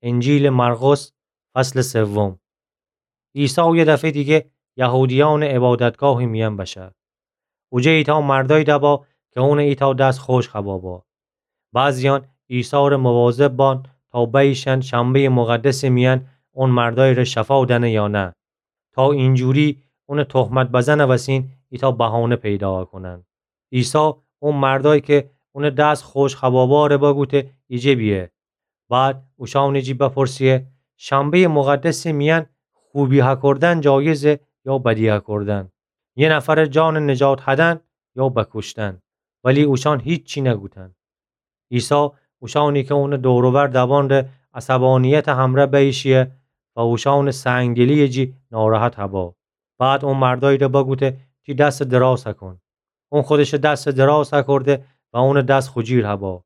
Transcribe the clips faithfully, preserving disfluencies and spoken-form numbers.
انجیلٚ مرقس، فصلٚ سوم. عیسی یه دفعه دیگه یهودیأنٚ عبادتگاهٚ میأن بشه. اوجه ایتأ مردأیی دبا که اونٚ ایتأ دس خوشک هبا با. بعضیأن عیسی‌ره مواظب بان تا بیشأن شنبه‌یٚ مقدسٚ میأن اون مردأیی‌ره شفا دأنه یا نه، تا اینجوری اونٚ تهمت بزنٚ وسین ایتأ بهانه پیدا کونن. عیسی اون مردأیی که اونٚ دس خوشک هباباره بگوته ایجه بیه. بعد اوشأنٚ جی بپرسه، شنبه‌یٚ مقدسٚ میأن خوبی هکردن جایزه یا بدی هکردن؟ یه نفرٚ جانٚ نجات هدن یا بکوشتن؟ ولی اوشأن هیچی نگوتن. عیسی اوشأنی که اونٚ دور و بر دبانده عصبانیتٚ همرأ بیشیه و اوشأنٚ سنگدلی‌یٚ جی ناراحت هبا. بعد اون مردأیی‌ره بگوته تی دسٚ دراز هکون. اون خودشٚ دسٚ دراز هکرده و اونٚ دس خوجیر هبا.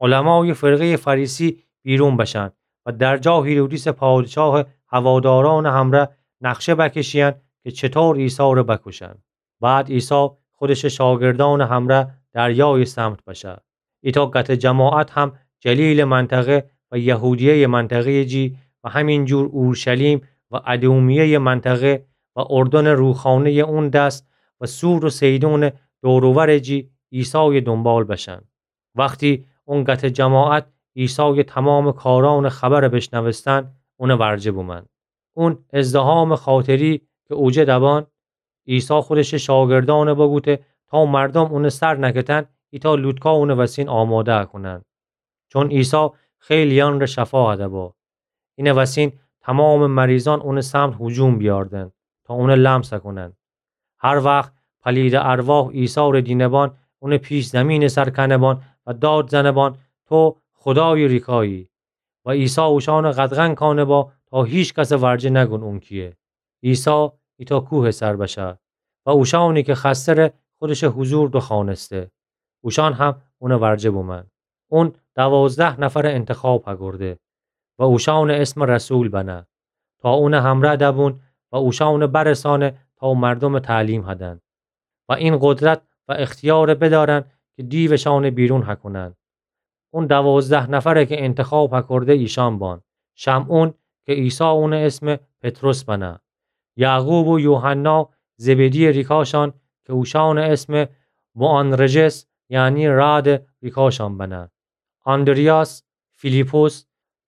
علمایٚ فرقه‌یٚ فریسی بیرون بشن و در جا هیرودیسٚ پادشاهٚ هوادارأنٚ همرأ نقشه بکشیأن که چطور عیسی‌ره بکوشن. بعد عیسی خودشٚ شاگردأنٚ همرأ دریایٚ سمت بشه. ایتأ قطع جماعت هم جلیلٚ منطقه و یهودیه‌یٚ منطقه‌یٚ جی و همینجور اورشلیم و ادومیه‌یٚ منطقه و اردنٚ روخانه‌یٚ اون دس و صور و صیدونٚ دور و ورٚ جی عیسایٚ دونبال بشن. وختی اون قطع جماعت عیسایٚ تومامٚ کارأنٚ خبر بشنوستن، اونٚ ورجه بومن. اون ازدحامٚ خاطری که اوجه دبان، عیسی خودشٚ شاگردأنٚ بگوته تا مردوم اونٚ سر نکتن، ایتأ لوتکا اونٚ وسین آماده کونن. چون عیسی خیلی‌یأنٚره شفا هده با. اینٚ وسین تومامٚ مریضأن اونٚ سمت هجوم بیاردن تا اونٚ لمس کونن. هر وخت پلیدٚ ارواح عیسی‌ره دینه بان، اونٚ پیش زیمینٚ سر کنه بان و داد زنه بان: تو خودایٚ ریکایی. و عیسی اوشأنٚ قدغن کانه با تا هیکسٚ ورجه نگون اون کیه. عیسی ایتأ کوهٚ سر بشه و اوشأنی که خسته‌ره خودشٚ حضور دوخوأنسته. اوشأن هم اونٚ ورجه بومن. اون دوازده نفرٚ انتخاب هکرده و اوشأنٚ اسم رسول بنه تا اونٚ همرأ دبون و اوشأنٚ برسانه تا مردومٚ تعلیم هدن و این قدرت و اختیارٚ بدأرن که دیوشأنٚ بیرون هکونن. اون دوازده نفره که انتخاب هکرده ایشأن بان: شمعون که عیسی اونٚ اسم پطرس بنه، یعقوب و یوحنا زبدی‌یٚ ریکاشأن که اوشأنٚ اسم بوآنرجس، یعنی رعدٚ ریکاشأن بنه، آندریاس، فیلیپس،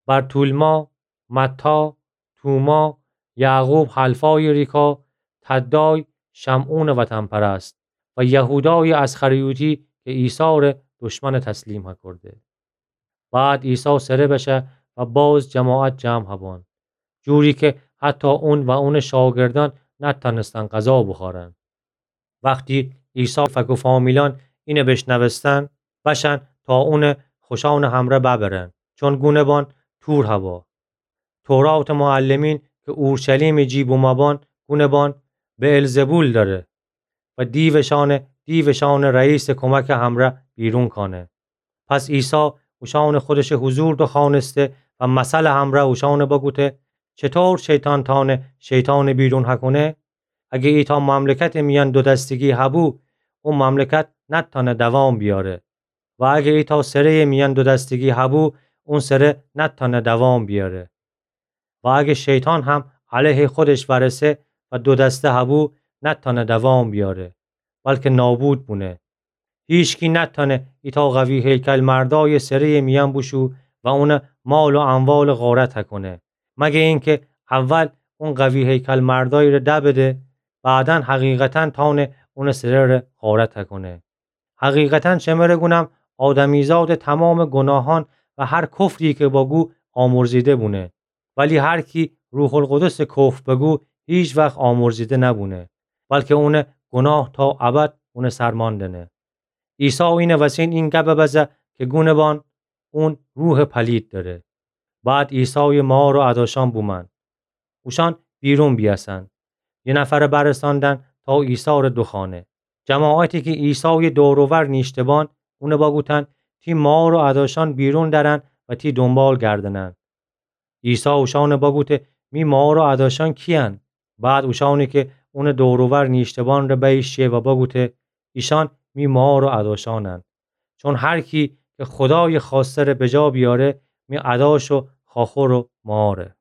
برتولما، متی، توما، یعقوب حلفایٚ ریکا، تدای، شمعونٚ وطن‌پرست، و یهودایٚ اسخریوطی که عیسی‌ره دشمن تسلیم هکرده. بعد عیسی سره بشه و باز جماعت جمع هبان، جوری که حتی اون و اونٚ شاگردأن نتأنستن غذا بوخورن. وختی عیسی فک و فامیلأن اینه بشنوستن، بشن تا اونٚ خوشأنٚ همرأ ببرن، چون گونه بان تور هبا. توراتٚ معلمین که اورشلیمٚ جی بومه بان گونه بان بئلزبول دأره و دیوشأنه دیوشأنٚ رئیسٚ کمکٚ همرأ بیرون کانه. پس عیسی اوشأنٚ خودشٚ حضور دوخوأنسته و مثلٚ همرأ اوشأنٚ بگوته: چطور شیطان تأنه شیطانٚ بیرون هکونه؟ اگه ایتأ مملکتٚ میأن دودستگی هبو، او مملکت نتأنه دوام بیاره. و اگه ایتأ سره‌یٚ میأن دودستگی هبو، اون سره نتأنه دوام بیاره. و اگه شیطان هم علیه خودش ورسه و دودسته هبو، نتأنه دوام بیاره، بلکه نابود بونه. هیچکی نتأنه ایتأ قوی هیکل‌مردایٚ سره‌یٚ میأن بوشو و اونٚ مال و اموال غارت هکونه، مگه اینکه اول اون قوی هیکل‌مردایٚ ره دبده، بعداً حقیقتاً تأنه اونٚ سره‌ره غارت هکونه. حقیقتاً شمره گونم، آدمیزادٚ تومامٚ گوناهأن و هر کفری که بگو آمرزیده بونه. ولی هر کی روح‌القدسٚ کفر بگو، هیچ‌وخت آمرزیده نبونه، بلکه اونٚ گوناه تا ابد اونٚ سر مأندنه. عیسی اینٚ وسین این گبٚ بزه که گونه بان اون روحٚ پلید دأره. بعد عیسایٚ مار و اداشأن بومأن اوشأن بیرون بیأسن. یه نفرٚ برسأندن تا عیسی‌ره دوخوأنه. جماعتی که عیسایٚ دور و ور نیشته بان، اونٚ بگوتن: تی مار و اداشأن بیرون درن و تی دونبال گردنن. عیسی اوشأنٚ بگوته: می مار و اداشأن کی‌یأن؟ بعد اوشأنی که اونٚ دور و ور نیشته بان ره بیشه و بگوته: ایشأن می مار و اداشأنن. چون هر کی که خودایٚ خوأسته‌ره بجا بیاره، می اداش و خاخور و ماره.